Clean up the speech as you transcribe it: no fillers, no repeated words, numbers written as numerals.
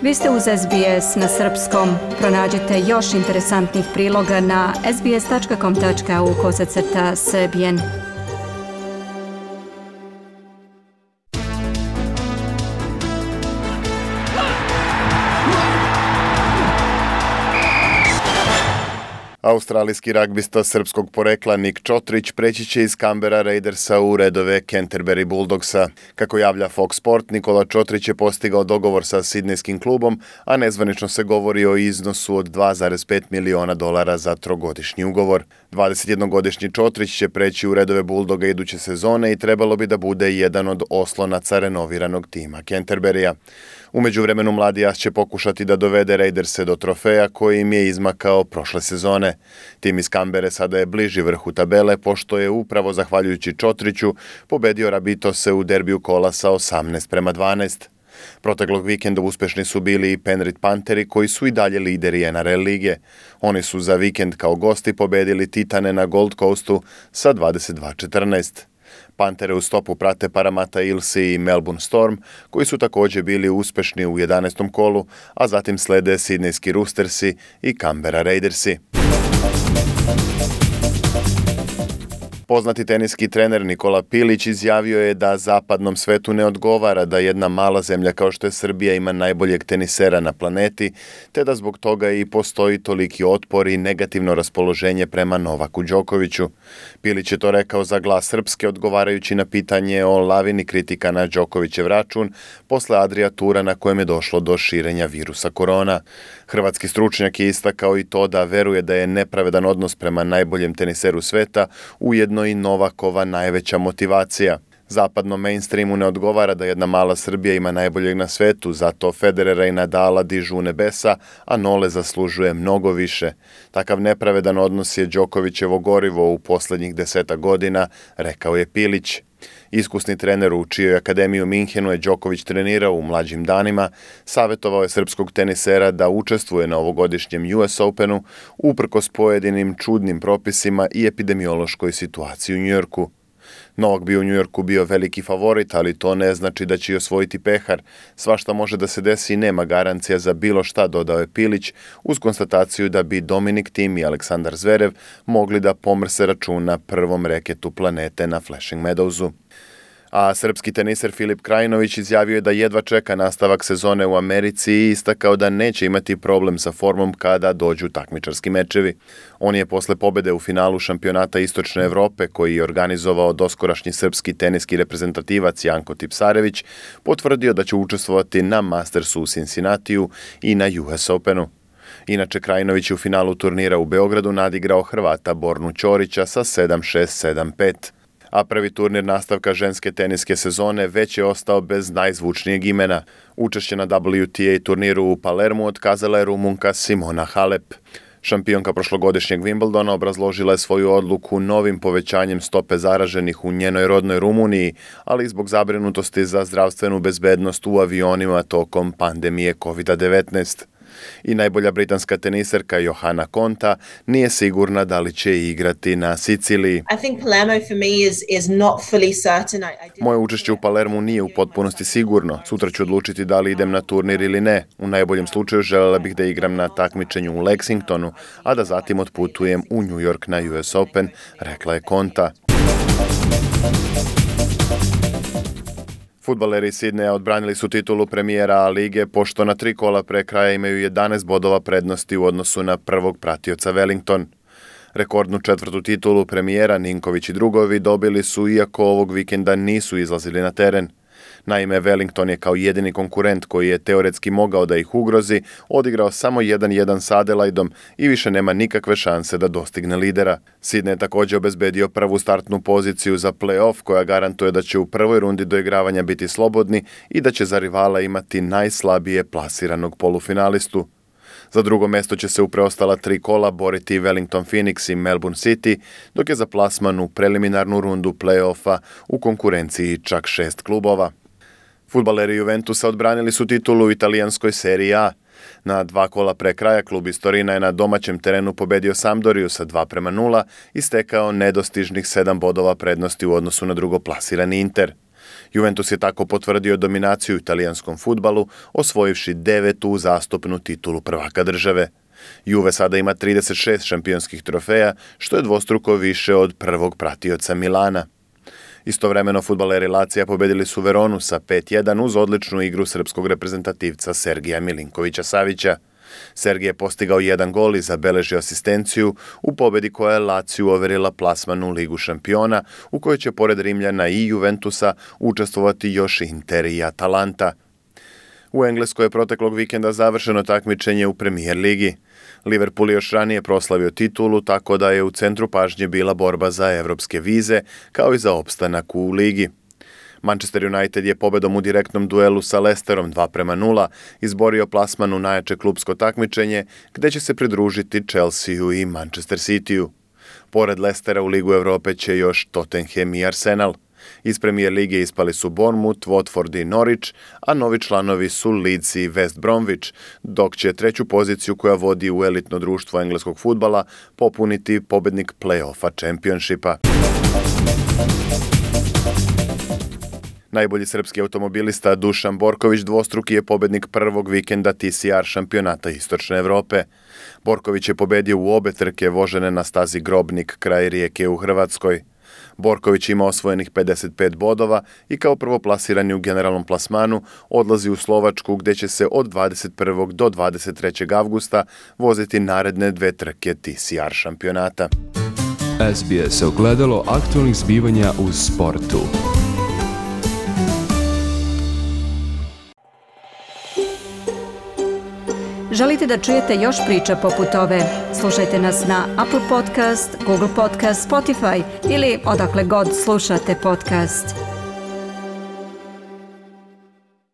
Vi ste uz SBS na srpskom. Pronađite još interesantnih priloga na sbs.com.au/srbijen. Australijski ragbista srpskog porekla Nik Čotrić preći će iz Canberra Raidersa u redove Canterbury Bulldogsa. Kako javlja Fox Sport, Nikola Čotrić je postigao dogovor sa sidnejskim klubom, a nezvanično se govori o iznosu od $2,5 miliona za trogodišnji ugovor. 21-godišnji Čotrić će preći u redove Bulldoga iduće sezone i trebalo bi da bude jedan od oslonaca renoviranog tima Canterburya. U međuvremenu mladi as će pokušati da dovede Raiderse do trofeja koji im je izmakao prošle sezone. Tim iz Canberre sada je bliži vrhu tabele, pošto je upravo zahvaljujući Čotriću pobedio Rabitose u derbiju kola sa 18-12. Proteklog vikenda uspešni su bili i Penrith Pantheri koji su i dalje lideri NRL lige. Oni su za vikend kao gosti pobedili Titane na Gold Coastu sa 22-14. Pantere u stopu prate Parramatta Eelsi i Melbourne Storm, koji su također bili uspešni u 11. kolu, a zatim slede Sidnejski Roostersi i Canberra Raidersi. Poznati teniski trener Nikola Pilić izjavio je da zapadnom svetu ne odgovara da jedna mala zemlja kao što je Srbija ima najboljeg tenisera na planeti, te da zbog toga i postoji toliki otpor i negativno raspoloženje prema Novaku Đokoviću. Pilić je to rekao za Glas Srpske odgovarajući na pitanje o lavini kritika na Đokovićev račun posle Adria tura na kojem je došlo do širenja virusa korona. Hrvatski stručnjak je istakao i to da veruje da je nepravedan odnos prema najboljem teniseru sveta ujedno i Novakova najveća motivacija. Zapadnom mainstreamu ne odgovara da jedna mala Srbija ima najboljeg na svetu, zato Federera i Nadala dižu u nebesa, a Nole zaslužuje mnogo više. Takav nepravedan odnos je Đokovićevo gorivo u poslednjih 10 godina, rekao je Pilić. Iskusni trener u čijoj akademiji u Minhenu je Đoković trenirao u mlađim danima, savjetovao je srpskog tenisera da učestvuje na ovogodišnjem US Openu uprkos pojedinim čudnim propisima i epidemiološkoj situaciji u Njujorku. Novak bi u Njujorku bio veliki favorit, ali to ne znači da će i osvojiti pehar. Svašta može da se desi i nema garancija za bilo šta, dodao je Pilić, uz konstataciju da bi Dominik Thiem i Aleksandar Zverev mogli da pomrse račun na prvom reketu planete na Flushing Meadowsu. A srpski teniser Filip Krajinović izjavio je da jedva čeka nastavak sezone u Americi i istakao da neće imati problem sa formom kada dođu takmičarski mečevi. On je posle pobede u finalu šampionata Istočne Evrope, koji je organizovao doskorašnji srpski teniski reprezentativac Janko Tipsarević, potvrdio da će učestvovati na Mastersu u Cincinnatiju i na US Openu. Inače, Krajinović je u finalu turnira u Beogradu nadigrao Hrvata Bornu Ćorića sa 7-6, 7-5. A prvi turnir nastavka ženske teniske sezone već je ostao bez najzvučnijeg imena. Učešće na WTA turniru u Palermu otkazala je Rumunka Simona Halep. Šampionka prošlogodišnjeg Wimbledona obrazložila je svoju odluku novim povećanjem stope zaraženih u njenoj rodnoj Rumuniji, ali i zbog zabrinutosti za zdravstvenu bezbednost u avionima tokom pandemije COVID-19. I najbolja britanska teniserka Johanna Konta nije sigurna da li će igrati na Siciliji. Moje učešće u Palermu nije u potpunosti sigurno. Sutra ću odlučiti da li idem na turnir ili ne. U najboljem slučaju želela bih da igram na takmičenju u Lexingtonu, a da zatim otputujem u New York na US Open, rekla je Konta. Fudbaleri Sidneja odbranili su titulu premijera A lige, pošto na 3 kola pre kraja imaju 11 bodova prednosti u odnosu na prvog pratioca Wellington. Rekordnu 4. titulu premijera Ninković i drugovi dobili su iako ovog vikenda nisu izlazili na teren. Naime, Wellington je kao jedini konkurent koji je teoretski mogao da ih ugrozi, odigrao samo 1-1 sa Adelaidom i više nema nikakve šanse da dostigne lidera. Sidney je također obezbedio prvu startnu poziciju za play-off koja garantuje da će u prvoj rundi doigravanja biti slobodni i da će za rivala imati najslabije plasiranog polufinalistu. Za drugo mesto će se u preostala 3 kola boriti Wellington Phoenix i Melbourne City, dok je za plasman u preliminarnu rundu play-offa u konkurenciji čak 6 klubova. Fudbaleri Juventusa odbranili su titulu u italijanskoj seriji A. Na 2 kola pre kraja klub iz Torina je na domaćem terenu pobedio Sampdoriju sa 2-0 i stekao nedostižnih 7 bodova prednosti u odnosu na drugoplasirani Inter. Juventus je tako potvrdio dominaciju u italijanskom fudbalu, osvojivši 9. uzastopnu titulu prvaka države. Juve sada ima 36 šampionskih trofeja, što je dvostruko više od prvog pratioca Milana. Istovremeno fudbaleri Lazija pobedili su Veronu sa 5-1 uz odličnu igru srpskog reprezentativca Sergija Milinkovića-Savića. Sergij je postigao 1 gol i zabeležio asistenciju u pobedi koja je Laziju overila plasman u Ligu šampiona, u kojoj će pored Rimljana i Juventusa učestvovati još Inter i Atalanta. U Engleskoj je proteklog vikenda završeno takmičenje u Premier ligi. Liverpool je još ranije proslavio titulu, tako da je u centru pažnje bila borba za evropske vize, kao i za opstanak u ligi. Manchester United je pobedom u direktnom duelu sa Leicesterom 2-0 izborio plasman u najjače klupsko takmičenje, gde će se pridružiti Chelsea i Manchester City-u. Pored Leicestera u Ligu Evrope će još Tottenham i Arsenal. Iz Premier lige ispali su Bournemouth, Watford i Norwich, a novi članovi su Leeds i West Bromwich, dok će treću poziciju koja vodi u elitno društvo engleskog fudbala popuniti pobednik play-offa Championshipa. Najbolji srpski automobilista Dušan Borković dvostruki je pobednik prvog vikenda TCR šampionata Istočne Evrope. Borković je pobedio u obe trke vožene na stazi Grobnik kraj Rijeke u Hrvatskoj. Borković ima osvojenih 55 bodova i kao prvoplasirani u generalnom plasmanu odlazi u Slovačku gde će se od 21. do 23. avgusta voziti naredne 2 trke TCR šampionata. SBS ogledalo aktualnih zbivanja u sportu. Želite da čujete još priča poput ove? Slušajte nas na Apple Podcast, Google Podcast, Spotify ili odakle god slušate podcast.